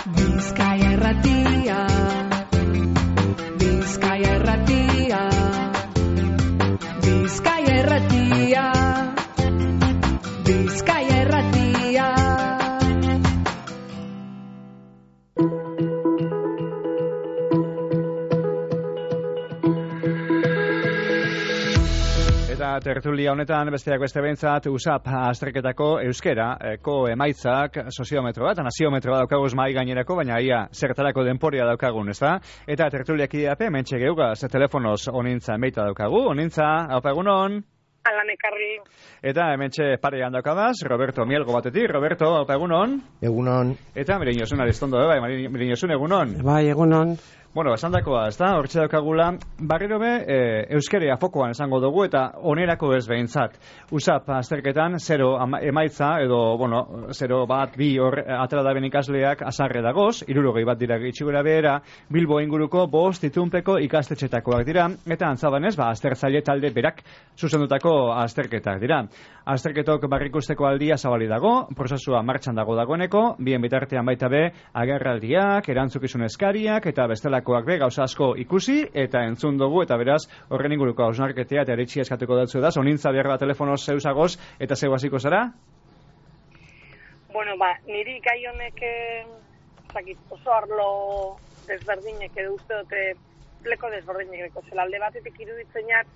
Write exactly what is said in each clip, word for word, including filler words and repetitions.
Bizkaia Irratia, Bizkaia Irratia, Bizkaia Irratia, Bizkaia Irratia. Eta tertulia honetan besteak beste behintzat U S A P azterketako euskera eko emaitzak soziometro bat, naziometro bat daukaguz mahai gainerako, baina ia zertarako denporia daukagun, ezta? Eta tertuliak ideape, mentxe geugaz, telefonoz onintza emeita daukagu, onintza, haupa egunon? Alan ekarri. Eta hementxe parean daukagaz, Roberto Mielgo batetik, Roberto, haupa egunon? Egunon. Eta Miriñosun Aristondo, bai, Miriñosun egunon? Bai, egunon. Bueno, esan dakoa, ez da, hortxe daukagula, barriro be, e, euskeria fokoan esango dugu, eta onerako ez behintzat. U S A P azterketan, zero emaitza, edo, bueno, zero bat, bi hor atera da ben ikasleak azarre dagoz, irurogei bat dira itxigura behera, Bilbo inguruko bost itunpeko ikastetxetakoak dira, eta antzabanez, ba, aztertzaile talde berak zuzendutako azterketak dira. Azterketok barrikusteko aldia zabali dago, prozesua martxan dago dagoeneko, bien bitartean baita be, agerraldiak, erantzukizun eskariak, eta bestelakoak be, gauza asko ikusi, eta entzun dugu, eta beraz, horren inguruko hausnarketea, eta eritxia eskatuko datzu da, onintza behar da telefonoz zeusagoz, eta zeu hasiko zara? Bueno, ba, niri gai honek, zakit, oso arlo desberdinek edo uste dute pleko desberdinek deko zela. Alde batetik iruditzenak,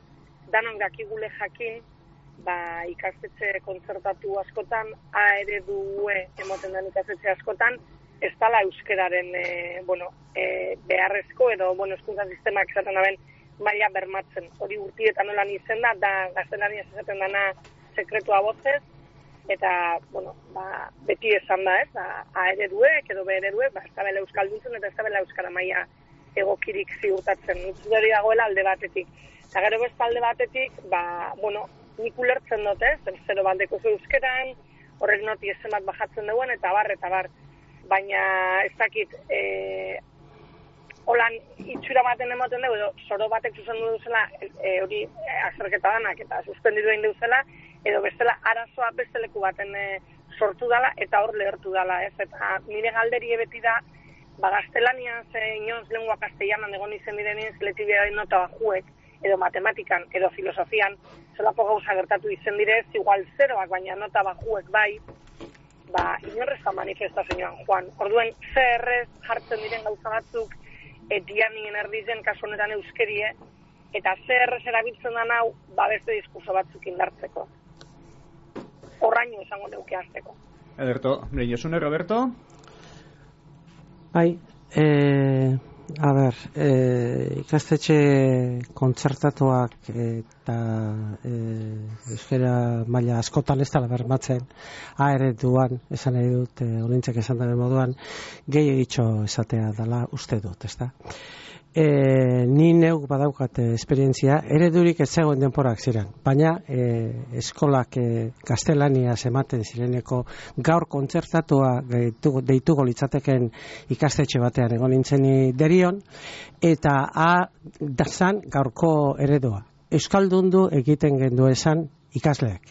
danon dakigule jakin, ba, ikastetxe kontzertatu askotan, A eredue emoten den ikastetxe askotan, ez dala euskeraren e, bueno, e, beharrezko edo bueno, hezkuntza sistemak esaten daben maila bermatzen. Hori urtietan nolan izen da, da gaztelaniaz esaten dana sekretua bozez, eta bueno, ba, beti esan da, ez, ba, A ereduek edo B ereduek, ba, ez da bela euskalduntzen eta ez da bela euskara maila egokirik ziurtatzen. Nutzu hori dagoela alde batetik. Eta gero beste alde batetik, ba, bueno, nik ulertzen dut, ez, zero bandeko zu euskeran, horrek noti ezen bat bajatzen duen, eta bar, eta bar. Baina ez dakit, e, holan itxura baten ematen dugu, edo soro batek zuzendu duzela, e, hori e, azterketa danak, eta suspendidu egin duzela, edo bestela arazoa beste leku baten e, sortu dala, eta hor lehertu dala, ez? Eta nire galderi beti da, ba, gaztelanian, ze inoz lengua castellanan egon izen direnien, zeletibia nota bajuek, edo matematikan, edo filosofian, zelako gauza gertatu izen direz, igual zeroak, baina nota bajuek bai, ba, inorrez da manifestazioan, Juan. Orduen, C R ez jartzen diren gauza batzuk, etianien erdizen kasu honetan euskerie, eta C R ez erabiltzen da nau, ba, beste diskurso batzuk indartzeko. Horraino esango neuke azteko. Ederto, Miriñosune, Roberto? Bai, eh... A ber, e, ikastetxe kontzertatuak eta e, euskera maila askotan ez dela bermatzen, A ereduan, esan nahi dut, e, olintzek esan daren moduan, gehi egitxo esatea dela uste dut, ez da. E, ni neuk badaukat esperientzia, eredurik ez zegoen denporak ziren, baina e, eskolak e, gaztelaniaz ematen zireneko gaur kontzertatua deitu, deituko litzateken ikastetxe batean egon nintzen derion, eta A dazan gaurko eredua. Euskaldundu egiten gendu esan ikasleak.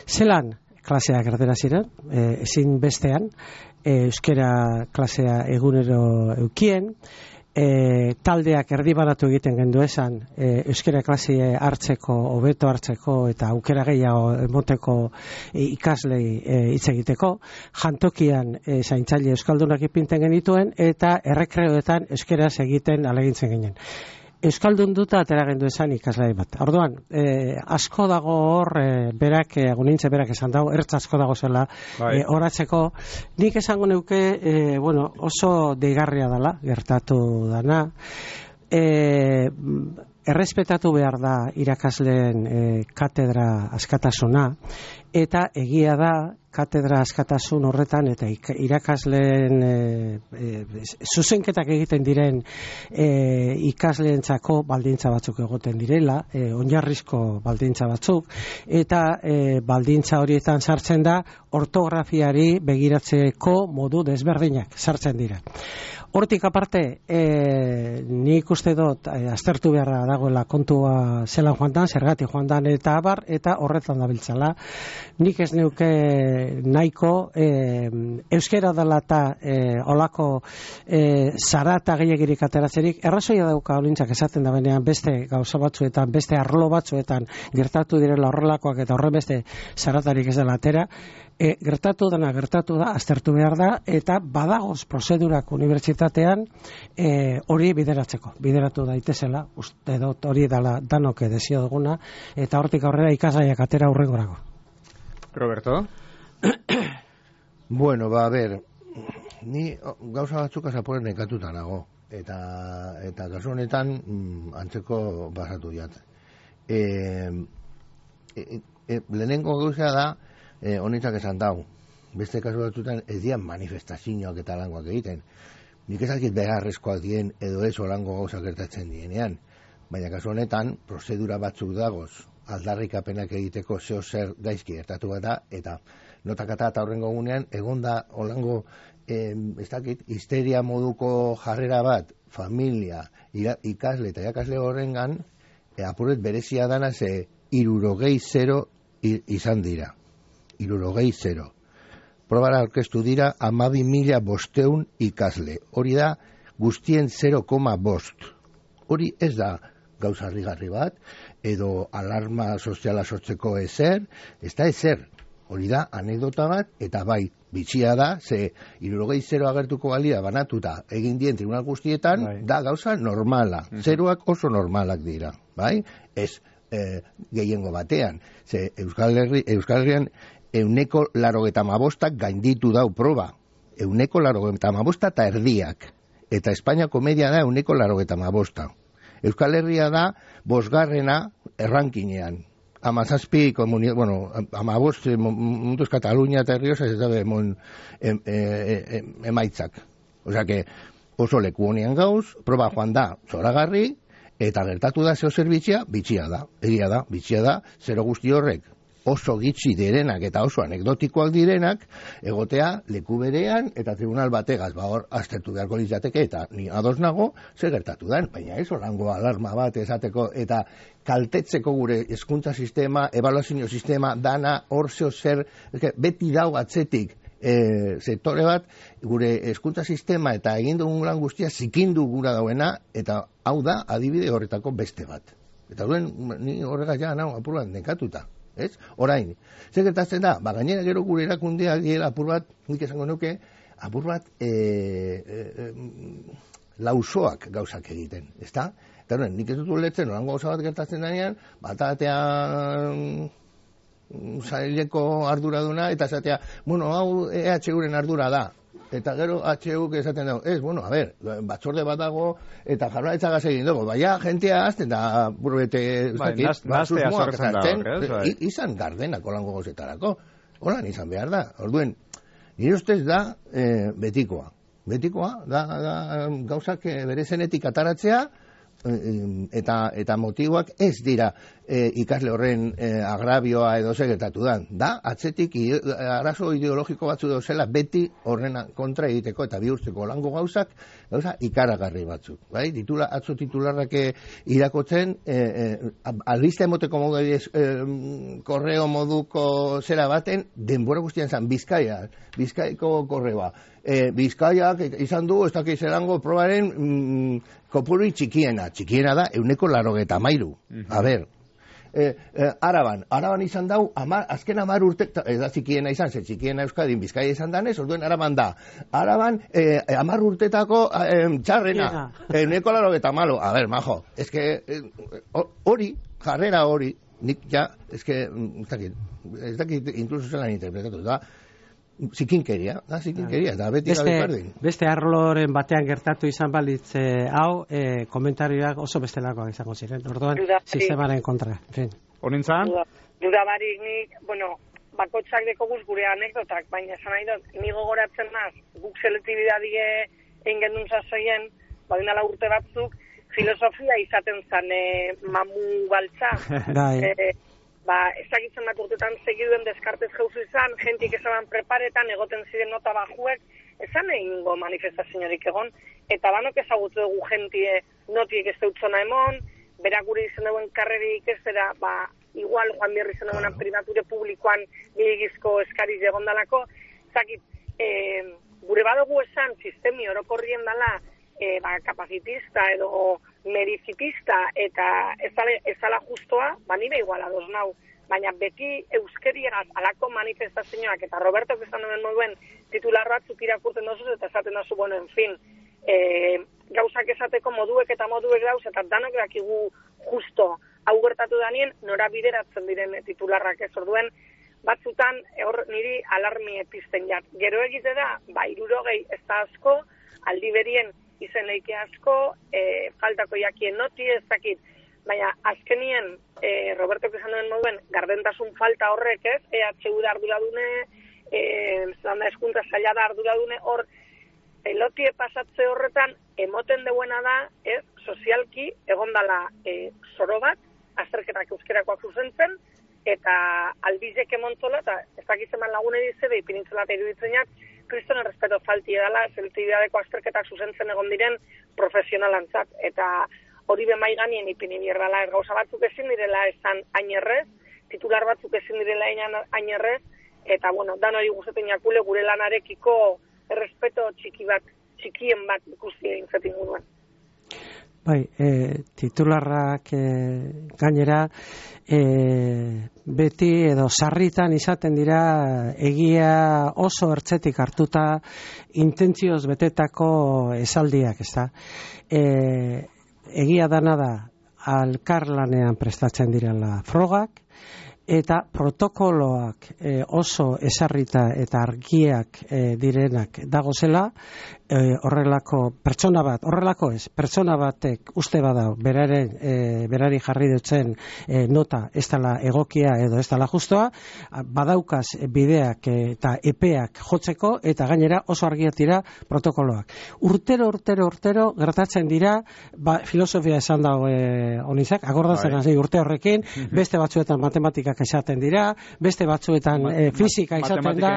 Zelan klaseak erdera ziren, e, ezin bestean, e, euskera klasea egunero eukien, E, taldeak erdibaratu egiten gendu esan e, euskera klase hartzeko, hobeto hartzeko eta aukera gehiago emoteko e, ikaslei hitz e, egiteko, jantokian e, zaintzaile euskaldunak ipinten genituen eta errekreoetan euskeraz egiten alegintzen ginen. Euskaldun duta atera gendu esan ikaslai bat. Orduan, eh, asko dago hor, eh, berak, eh, agunintze berak esan dago, ertz asko dago zela, bai. eh, horatzeko. Nik esango neuke, eh, bueno, oso deigarria dela, gertatu dana. Eh, errespetatu behar da irakasleen eh, katedra askatasuna, eta egia da, katedra askatasun horretan eta irakasleen e, e, zuzenketak egiten diren e, ikasleentzako baldintza batzuk egoten direla, e, oinarrizko baldintza batzuk, eta e, baldintza horietan sartzen da ortografiari begiratzeko modu desberdinak sartzen dira. Hortik aparte, e, nik uste dut e, aztertu beharra dagoela kontua zelan joan dan, zergatik joan dan eta abar, eta horretan dabiltzala. nik ez neuke nahiko e, euskera dela eta e, olako e, zarata gehiagirik ateratzerik, errazoia dauka olintzak esaten da benean beste gauza batzuetan, beste arlo batzuetan gertatu direla horrelakoak eta horren beste zaratarik ez dela atera. E, gertatu dena gertatu da, aztertu behar da, eta badagoz prozedurak unibertsitatean e, hori bideratzeko, bideratu daitezela, uste dut hori dala danok edezio duguna, eta hortik aurrera ikasgaiak atera hurrengorako. Roberto? Bueno, ba, a ver, ni gauza batzuk azaporen nekatuta nago, eta, eta kasu honetan mm, antzeko basatu jat. E, e, e, lehenengo gauza da, Eh, honitzak esan dau, beste kasu batzutan ez dian manifestazioak eta langoak egiten. Nik ezakit beharrezkoak dien edo ez olango gauza gertatzen dienean, baina kasu honetan prozedura batzuk dagoz, aldarrikapenak egiteko zeo zer gaizki gertatu bat da, eta notakata eta horrengo gunean, egonda olango, eh, ez dakit, histeria moduko jarrera bat, familia, ira, ikasle eta irakasle horrengan, eh, apuret berezia dana ze hirurogei zero izan dira. Hirurogei zero. Probara aurkeztu dira hamabi mila bosteun ikasle. Hori da guztien zero koma bost. Hori ez da gauza harrigarri bat, edo alarma soziala sortzeko ezer, ez da ezer. Hori da anekdota bat, eta bai, bitxia da, ze hirurogei zero agertuko balia banatuta egin dien tribunal guztietan, bai. Da gauza normala. Mm-hmm. Zeroak oso normalak dira, bai? Ez eh, gehiengo batean. Ze Euskal Herri, Euskal Herrian euneko larogeta amabostak gainditu dau proba. Euneko larogeta amabostak eta erdiak. Eta Espainiako media da euneko larogeta amabosta. Euskal Herria da bosgarrena errankinean. Amazazpi, komunidad, bueno, amabost, munduz Katalunia eta Herriosa, ez da emon em, em, em, emaitzak. Osea que oso leku honean gauz, proba joan da zoragarri, eta gertatu da zeo zerbitxia, bitxia da. Egia da, bitxia da, zero guzti horrek oso gitxi direnak eta oso anekdotikoak direnak, egotea leku berean eta tribunal bategaz, ba hor, aztertu beharko litzateke, eta ni ados nago, zer gertatu den, baina ez olango alarma bat esateko, eta kaltetzeko gure hezkuntza sistema, ebaluazio sistema, dana, hor zeo zer, beti dau atzetik, e, sektore bat, gure hezkuntza sistema eta egin dugun lan guztia zikindu gura dauena, eta hau da adibide horretako beste bat. Eta duen, ni horrega ja nago apuruan nekatuta. Ez? Orain, zer gertatzen da, ba, gainera gero gure erakundeak dira apur bat, nik esango nuke, apur bat e, e, e, lausoak gauzak egiten, ezta? Eta horren, nik ez dut ulertzen, orango gauza bat gertatzen denean, bat atean zaileko arduraduna, eta esatea, bueno, hau E H U-ren ardura da. Eta gero H U-k esaten dago, ez, bueno, a ver, batzorde bat dago, eta jarraitzagaz egin dugu, baina jentea azten da burbete, bai, naztea sortzen dago, izan gardenak olango gozetarako, holan izan behar da, orduen, nire ustez da e, betikoa, betikoa, da, da gauzak bere zenetik ataratzea, eta eta motiboak ez dira e, ikasle horren e, agrabioa edo segertatu dan. Da, atzetik i, arazo ideologiko batzu dauzela beti horren kontra egiteko eta bihurtzeko lango gauzak, gauza ikaragarri batzuk. Bai? Titula, atzo titularrak irakotzen, e, e, albiste emoteko modu e, korreo moduko zera baten, denbora guztian zan, Bizkaia, Bizkaiko korreoa. E, Bizkaiak izan du, ez dakiz erango probaren mm, kopuri txikiena. Txikiena da, euneko larogeta mairu. Uh-huh. A ber, e, e, Araban, Araban izan dau, amar, azken amar urte, ez da txikiena izan, ze txikiena Euskadin Bizkaia izan danez, orduen Araban da. Araban, e, amar urtetako e, txarrena, euneko larogeta malo. A ber, majo, ez que hori, e, jarrera hori, nik ja, ez que, ez dakit, ez dakit, inkluso zelan interpretatu da, zikinkeria, da, zikinkeria, eta beti gabe berdin. Beste arloren batean gertatu izan balitz eh, hau, eh, komentarioak oso bestelakoak izango ziren. Orduan, sistemaren kontra. Honintzan? Duda barik nik, bueno, bakotxak dekoguz gure anekdotak, baina esan nahi dut, ni gogoratzen naz, guk selektibidadie egin gendun sasoien, badinala urte batzuk, filosofia izaten zan eh, mamu baltza. eh, Ba, ezagitzen bat urtetan segiduen deskartez jauzu izan, jentik esaban preparetan, egoten ziren nota bajuek, ezan egingo manifestazioarik egon, eta banok ezagutu dugu jentie notiek ez deutzona emon, berak gure izen duen karrerik ez dira, ba, igual joan berri zen egonan privature publikoan gehiagizko eskariz egondalako, zakit, e, gure badugu esan sistemi orokorrien dela e, ba, kapacitista edo merizitista eta ez dala justoa, ba nire iguala doz nau, baina beti euskeriagaz alako manifestazioak eta Roberto esan duen moduen titular batzuk irakurten dozuz eta esaten dozu, bueno, en fin, e, gauzak esateko moduek eta moduek dauz eta danok dakigu justo hau gertatu danien nora bideratzen diren titularrak ez orduen, batzutan hor niri alarmi epizten jat. Gero egite da, ba, irurogei ez da asko, aldi berien izen leike asko, e, faltako jakien noti ez dakit, baina azkenien e, Roberto esan duen moduen gardentasun falta horrek ez, E H U da arduradune, e, zelanda eskuntza zaila da arduradune, hor pelotie pasatze horretan emoten deuena da, ez, sozialki egondala e, zoro bat, azterketak euskerakoak zuzentzen, eta albizek emontzola, eta ez dakizeman lagune dizede, ipinintzola eta iruditzeniak, kriston errespeto falti edala, zeltibidadeko azterketak zuzentzen egon diren profesionalantzat, eta hori bemai ganien ipini bierrala, gauza batzuk ezin direla esan ainerrez, titular batzuk ezin direla ainerrez, eta bueno, dan hori guztetan jakule gure lanarekiko errespeto txiki bat, txikien bat ikusi egin zetin guduan. Bai, e, titularrak e, gainera e, beti edo sarritan izaten dira egia oso ertzetik hartuta intentzioz betetako esaldiak, ezta? E, egia dana da alkarlanean prestatzen direla frogak, eta protokoloak e, oso esarrita eta argiak e, direnak dagozela, e, horrelako pertsona bat, horrelako ez, pertsona batek uste badau beraren, e, berari jarri dutzen e, nota ez dela egokia edo ez dela justoa, badaukaz bideak eta epeak jotzeko eta gainera oso argiak dira protokoloak. Urtero, urtero, urtero gertatzen dira, ba, filosofia esan dago e, onizak, akordatzen hasi urte horrekin, beste batzuetan matematika esaten dira, beste batzuetan e, fisika esaten da,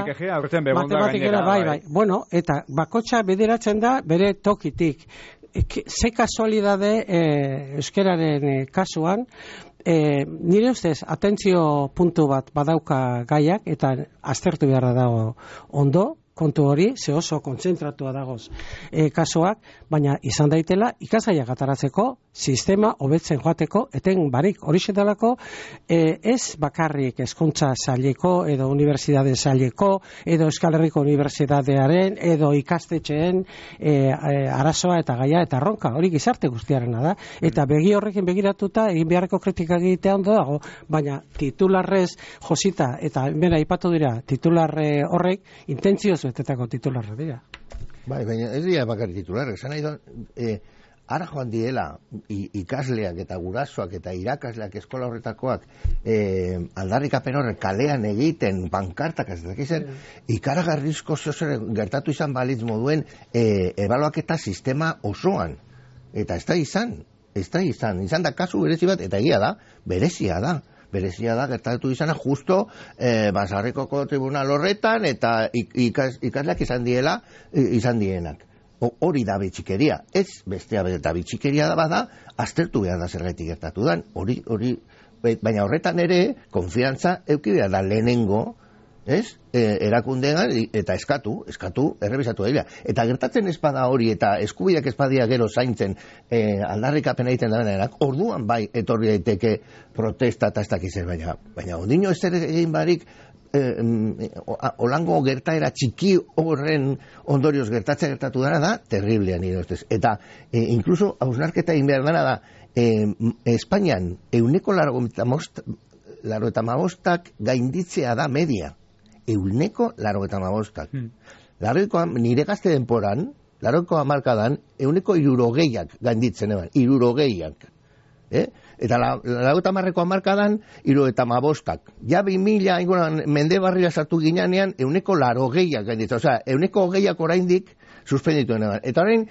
matematikera, bai, bai. Bueno, eta bakotxa bideratzen da bere tokitik. E, ze kasualidade e, euskeraren e, kasuan, e, nire ustez, atentzio puntu bat badauka gaiak, eta aztertu beharra dago ondo, kontu hori, ze oso kontzentratua dagoz e, kasuak, baina izan daitela ikasgaiak ataratzeko, sistema hobetzen joateko, eten barik hori xetalako, e, ez bakarrik hezkuntza saileko, edo unibertsitate saileko, edo Euskal Herriko Unibertsitatearen, edo ikastetxeen e, e, arazoa eta gaia eta erronka, hori gizarte guztiarena da, eta begi horrekin begiratuta, egin beharreko kritika egitea ondo dago, baina titularrez josita, eta bera ipatu dira, titularre horrek, intentzioz betetako titularra dira. Bai, baina ez dira bakarrik titularra, esan nahi da, e, ara joan diela ikasleak eta gurasoak eta irakasleak eskola horretakoak e, aldarrikapen horrek kalean egiten, pankartak ez dakizen, ikaragarrizko zozer gertatu izan balitz moduen e, ebaluaketa sistema osoan. Eta ez da izan, ez da izan, izan da kasu berezi bat, eta egia da, berezia da. Berezia da, gertatu izana justo eh, Basarrikoko tribunal horretan eta ikas, ikasleak izan diela, izan dienak. Hori da bitxikeria, ez bestea eta bitxikeria da bada, aztertu behar da zergatik gertatu dan. Hori, hori, baina horretan ere, konfiantza euki behar da lehenengo, ez? E, erakundean eta eskatu, eskatu, errebisatu daila. Eta gertatzen espada hori eta eskubideak espadia gero zaintzen e, aldarrikapen egiten da benenak, orduan bai etorri daiteke protesta eta ez dakizen, baina, baina ondino ez ere egin barik eh, olango gertaera txiki horren ondorioz gertatzen gertatu dara da, terriblea nire ustez. Eta e, inkluso hausnarketa egin behar dana da, e, Espainian euneko laro eta hamabostak gainditzea da media. Euneko laro eta hamabostak. Hmm. Larroiko, nire gazte denporan, larroiko hamarkadan, euneko irurogeiak gainditzen eban, irurogeiak. Eh? Eta larro eta hamarreko hamarkadan, iru eta hamabostak. Ja bi mila inguran mende barrira sartu ginean, euneko larogeiak gainditzen. Osea, euneko hogeiak oraindik suspendituen eban. Eta orain,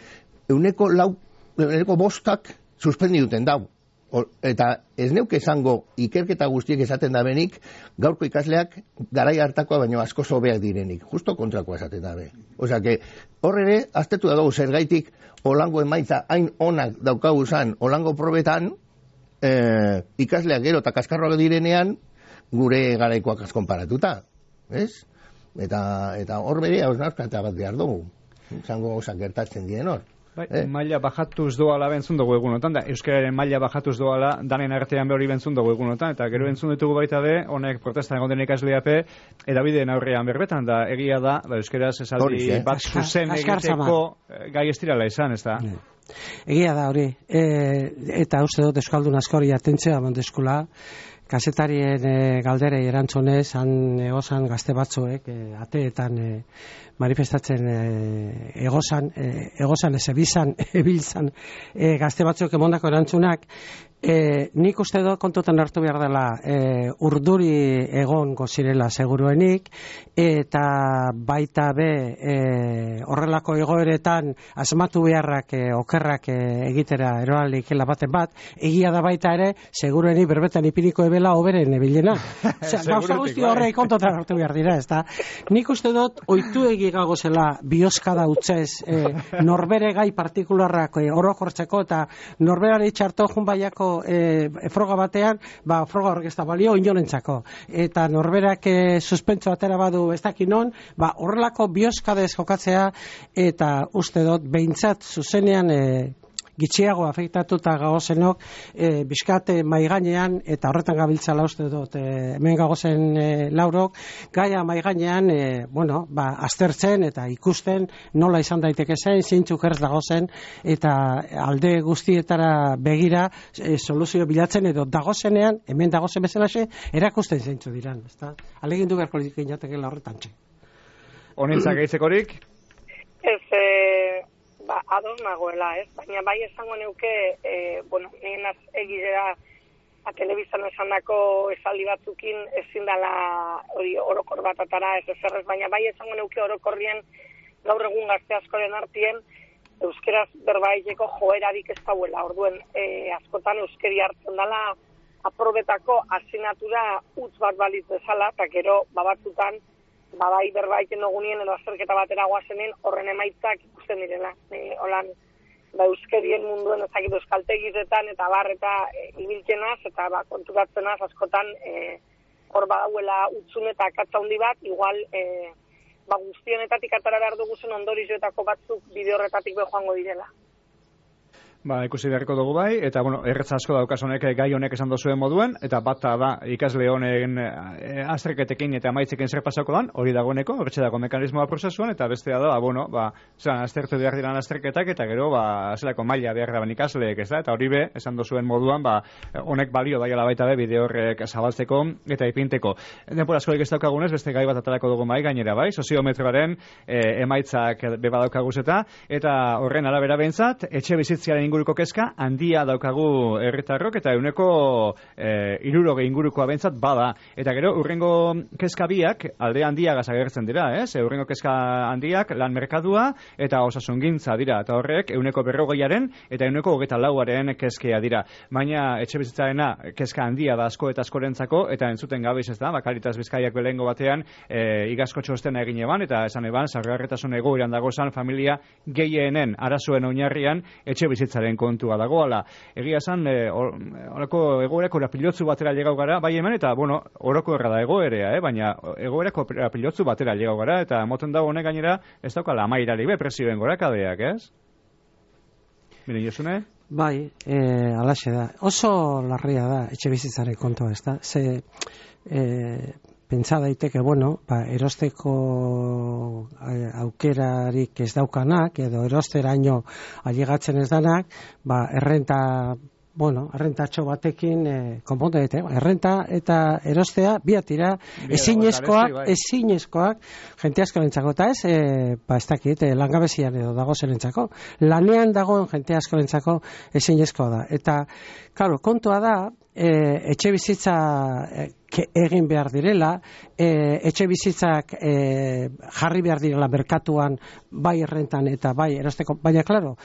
euneko lau, euneko bostak suspendituten dau. Eta ez neuke esango ikerketa guztiek esaten da benik, gaurko ikasleak garai hartakoa baino asko hobeak direnik. Justo kontrakoa esaten da be. Osea, que hor ere, aztertu da dugu zergaitik olango emaitza hain onak daukagu zan olango probetan, eh, ikasleak gero eta kaskarroak direnean, gure garaikoak azkonparatuta, ez? Eta, eta hor bere hausnarketa bat behar dugu, zango gauzak gertatzen dien hor. Bai, eh? maila bajatuz doala bentzun dugu egunotan, da euskararen maila bajatuz doala danen artean behori bentzun dugu egunotan, eta gero bentzun ditugu baita be, honek protestan egon den ikasleape, edabideen aurrean berbetan, da egia da, ba, euskaraz esaldi eh? bat zuzen egiteko gai estirala izan, ez da? Egia da hori, e, eta uste dut euskaldun askori atentzea bandeskula, kasetarien e, galderei erantzunez, han egozan gazte batzuek, e, ateetan e, manifestatzen e, egozan, e, egozan ez ebizan, ebiltzan e, gazte batzuek emondako erantzunak, e, nik uste dut kontutan hartu behar dela e, urduri egon gozirela seguruenik, eta baita be e, horrelako egoeretan asmatu beharrak e, okerrak e, egitera eroalik baten bat, egia da baita ere seguruenik berbetan ipiniko ebela oberen ebilena. Gauza guzti horrei kontutan hartu behar dira, ez da? Nik uste dut oitu egi gagozela bioskada utzez e, norbere gai partikularrak e, orokortzeko eta norberari txarto junbaiako e, froga batean, ba, froga horrek ez da balio inorentzako. Eta norberak e, suspentso atera badu ez dakinon, ba, horrelako bioskadez jokatzea eta uste dut behintzat zuzenean e, gitxiago afektatuta gagozenok e, bizkate maiganean eta horretan gabiltzala uste dut e, hemen gagozen e, laurok gaia maiganean e, bueno, ba, aztertzen eta ikusten nola izan daiteke zen, zeintzuk erz dagozen eta alde guztietara begira e, soluzio bilatzen edo dagozenean, hemen dagozen bezalaxe erakusten zeintzu diran, ezta? Alegindu beharko inatekela horretan txe. Honentzak gaitzekorik? Ez, e... ba, ados nagoela, ez? Baina bai esango neuke, e, bueno, nien az egidea a telebizan esandako esaldi batzukin ezin dela hori orokor bat atara, ez ezerrez, baina bai esango neuke orokorrien gaur egun gazte askoren artien euskeraz berbaiteko joerarik ez dauela, orduen e, askotan euskeri hartzen dela aprobetako asignatura utz bat balitz bezala, eta gero babatzutan ba bai berbaiten ogunien edo azterketa batera goazenen horren emaitzak ikusten direla. E, holan, ba euskerien munduen ezakit euskaltegizetan eta bar eta e, ibiltzenaz eta ba, konturatzenaz askotan e, hor badauela utzun eta akatza handi bat, igual e, ba guztionetatik atara behar duguzen ondorizoetako batzuk bide horretatik be joango direla. Ba, ikusi beharko dugu bai, eta, bueno, erretza asko daukaz honek gai honek esan dozuen moduen, eta bata da ikasle honen e, azterketekin eta amaitzekin zer pasako dan, hori dagoeneko, horretxe dago mekanismoa prozesuan, eta bestea da, bueno, ba, zelan, aztertu behar diran azterketak, eta gero, ba, zelako maila behar daban ikasleek, ez da, eta hori be, esan dozuen moduan, ba, honek balio daiala baita be, bide horrek zabaltzeko eta ipinteko. Denpora askorik ez daukagunez, beste gai bat atarako dugu bai, gainera bai, soziometroaren e, emaitzak be badaukaguz eta, eta horren arabera behintzat, etxe bizitziaren inguruko kezka handia daukagu herritarrok eta euneko e, iruroge ingurukoa bentzat bada. Eta gero, urrengo kezka biak alde handiagaz agertzen dira, ez? Urrengo kezka handiak lan merkadua eta osasungintza dira. Eta horrek euneko berrogeiaren eta euneko hogeita lauaren kezkea dira. Baina etxe bizitzarena kezka handia da asko eta askorentzako eta entzuten gabiz ez da, Bakaritas Bizkaiak belengo batean e, igazko txostena egin eban eta esan eban, zaurgarritasun egoeran dagozan familia gehienen arazoen oinarrian etxe bizitzaren kontua dagoala. Egia esan, horako e, egoerako pilotzu batera llegau gara, bai hemen, eta, bueno, oroko erra da egoerea, eh? Baina egoerako pilotzu batera llegau gara, eta moten dago honek gainera, ez daukala amairari be presioen gorakadeak, ez? Miren, Josune? Bai, e, alaxe da. Oso larria da, etxe bizitzaren kontua, ez da? Ze, e, pentsa daiteke, bueno, ba, erosteko aukerarik ez daukanak, edo erosteraino ailegatzen ez danak, ba, errenta, bueno, errentatxo batekin, e, konponte dute, errenta eta erostea, biatira, ezinezkoak, ezinezkoak, jente askorentzako, eta ez, e, ba, ez dakit, e, langabezian edo dago zerentzako, lanean dagoen jente askorentzako ezinezkoa da. Eta, claro, kontua da, e, etxe bizitza e, egin behar direla, e, etxe bizitzak e, jarri behar direla merkatuan bai errentan eta bai erosteko, baina klaro,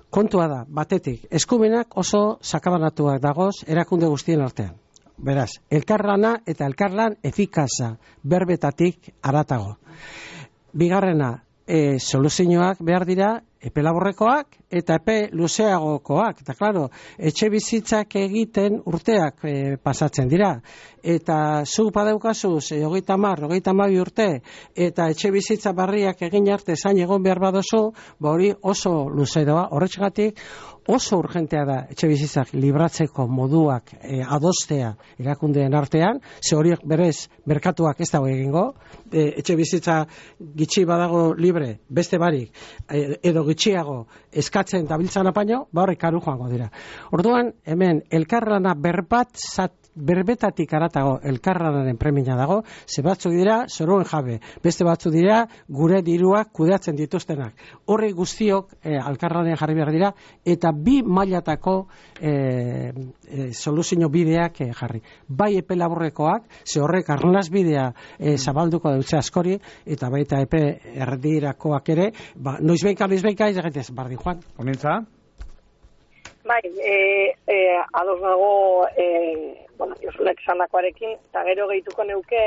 kontua da, batetik, eskumenak oso sakabanatuak dagoz erakunde guztien artean. Beraz, elkarlana eta elkarlan efikaza berbetatik aratago. Bigarrena, e, soluzioak behar dira epe laburrekoak eta epe luzeagokoak. Eta klaro, etxe bizitzak egiten urteak e, pasatzen dira. Eta zu badaukazu, ze hogeita hamar, hogeita hamabi urte, eta etxe bizitza barriak egin arte zain egon behar badozu, ba hori oso luze doa. Horretxegatik oso urgentea da etxe bizitzak libratzeko moduak e, adostea erakundeen artean, ze horiek berez merkatuak ez dago egingo, e, etxe bizitza gitxi badago libre, beste barik, e, edo gitxiago eskatzen dabiltzan apaino, ba horrek karu joango dira. Orduan, hemen, elkarlana berbat zat, berbetatik aratago elkarlanaren premia dago, ze batzuk dira zoruen jabe, beste batzuk dira gure diruak kudeatzen dituztenak. Horri guztiok e, elkarlanen jarri behar dira, eta bi mailatako e, e, soluzio bideak e, jarri. Bai epe laburrekoak, ze horrek arnaz bidea e, zabalduko dutze askori, eta baita epe erdirakoak ere, ba, noizbeika, noizbeika, ez egitez, bardin joan. Honintza? Bai, e, e, ados nago, e, bueno, Josunek esandakoarekin, eta gero gehituko neuke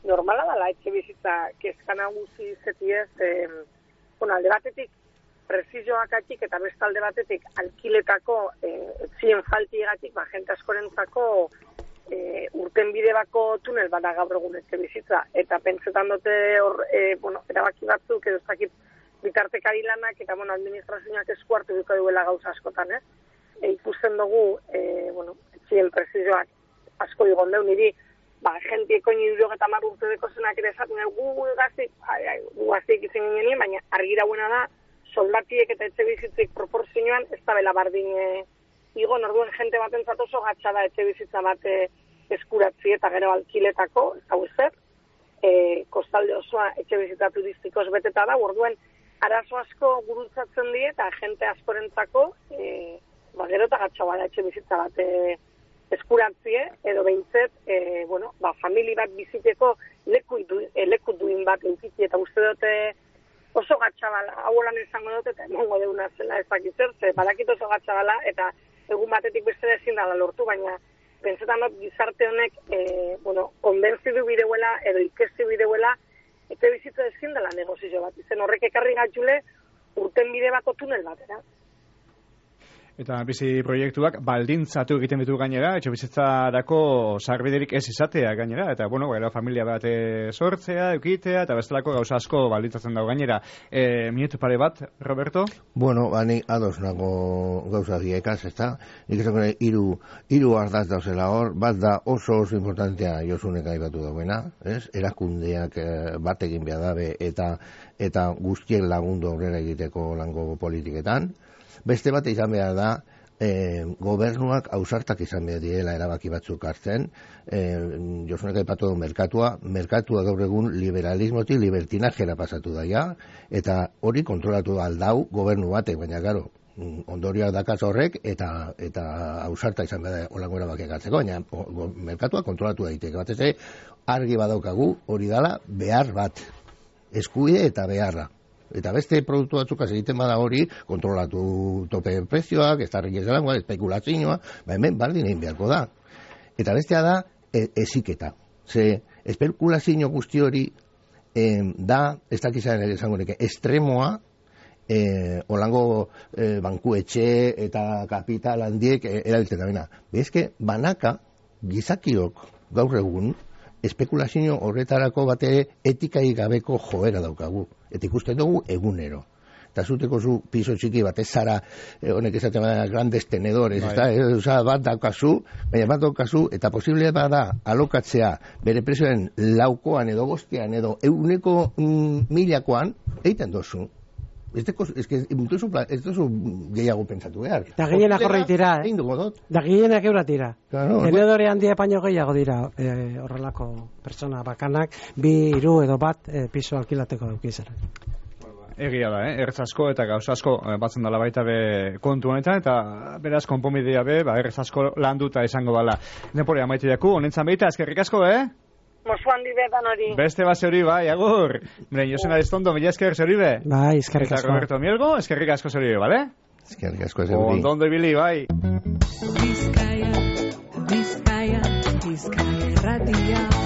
normala dela etxe bizitza kezka nagusi zetiez, e, bueno, alde batetik prezizioakatik eta beste alde batetik alkiletako e, etzien faltigatik, ba, jente askorentzako e, urten bide bako tunel bada gaur egun etxe bizitza, eta pentsetan dute hor, e, bueno, erabaki batzuk edo ez dakit bitartekari lanak eta bueno, administrazioak esku hartu duko duela gauza askotan, ez? E, ikusten dugu, e, bueno, etxien prezizioak asko digon deu, niri, ba, jentieko nire eta mar urte deko zenak ere esaten gu gaztik, gu gaztik izan ginen, baina argi dauena da, soldatiek eta etxe bizitzik proporzioan ez da bela bardin e, igo, norduen jente batentzat oso gatsa da etxe bizitza bat e, eskuratzi eta gero alkiletako, ez hau ezer, e, kostalde osoa etxe bizitza turistikoz beteta da, orduen arazo asko gurutzatzen die eta jente askorentzako e, ba, gero eta gatsa bada etxe bizitza bat e, eskuratzie, edo behintzet, e, bueno, ba, famili bat biziteko leku, du, e, leku duin bat eukitzi, eta uste dute oso gatxabala, hau holan izango dut, eta emongo deuna zela ezakitzer, ze badakit oso gatxabala, eta egun batetik beste ezin dala lortu, baina pentsetan dut gizarte honek, e, bueno, konbentzidu bideuela, edo ikesti bideuela, eta bizitza ezin dela negozio bat, izen horrek ekarri gatxule urten bide bako tunel batera. Eta bizi proiektuak baldintzatu egiten ditu gainera, etxe bizitzarako sarbiderik ez izatea gainera, eta bueno, gero familia bat sortzea, eukitea, eta bestelako gauza asko baldintzatzen dago gainera. E, minutu pare bat, Roberto? Bueno, bani ados nago gauza diekaz, ez da? Nik esan gure, iru, iru ardaz dauzela hor, bat da oso oso importantea Josunek aipatu dauena, ez? Erakundeak bat egin behar dabe, eta, eta guztiek lagundu aurrera egiteko lango politiketan. Beste bat izan behar da, e, gobernuak ausartak izan behar direla erabaki batzuk hartzen, e, Josunek aipatu du merkatua, merkatua gaur egun liberalismotik libertinajera pasatu daia, eta hori kontrolatu aldau gobernu batek, baina garo, ondorioak dakaz horrek, eta eta ausarta izan behar da holango erabakiak hartzeko, baina o, o, merkatua kontrolatu daiteke, batez ere, argi badaukagu hori dala behar bat, eskubide eta beharra. Eta beste produktu batzuk egiten bada hori, kontrolatu tope prezioak, ez da riquez delangoa, espekulazioa, ba hemen baldin egin beharko da. Eta bestea da, e, eziketa. Ze, espekulazio guzti hori e, da, ez dakizan ere esango neke, estremoa, e, holango e, bankuetxe eta kapital handiek e, erabiltzen da bena. Bezke, banaka, gizakiok gaur egun, espekulazio horretarako bate etikai gabeko joera daukagu. Eta ikusten dugu egunero. Eta zuteko zu piso txiki bat ez zara, eh, honek esaten bada grandes tenedores, ez da, eh, bat daukazu, baina bat daukazu, eta posible bada alokatzea bere prezioen laukoan edo bostean edo euneko mm, milakoan, egiten dozu. Ez duzu gehiago pentsatu behar. Da gehienak horreit dira, eh? Da gehienak eurat dira. Claro, tenedore handia paino gehiago dira eh, horrelako pertsona bakanak, bi, hiru edo bat eh, piso alkilateko daukizera. Egia da, eh? Ertz asko eta gauz asko eh, batzen dala baita be kontu honetan, eta beraz konponbidea be, ba, ertz asko landuta izango dala. Nepore amaitu jaku, honentzan behita, eskerrik asko, eh? Mosu handi betan hori. Beste base hori, bai, agur. Mire, Josena Destondo, mila esker zori be. Bai, eskerrik asko. Eta Roberto Mielgo, eskerrik asko zori be, bale? Eskerrik asko zori. Ondondo ibili, bai. Bizkaia, Bizkaia, Bizkaia erratia.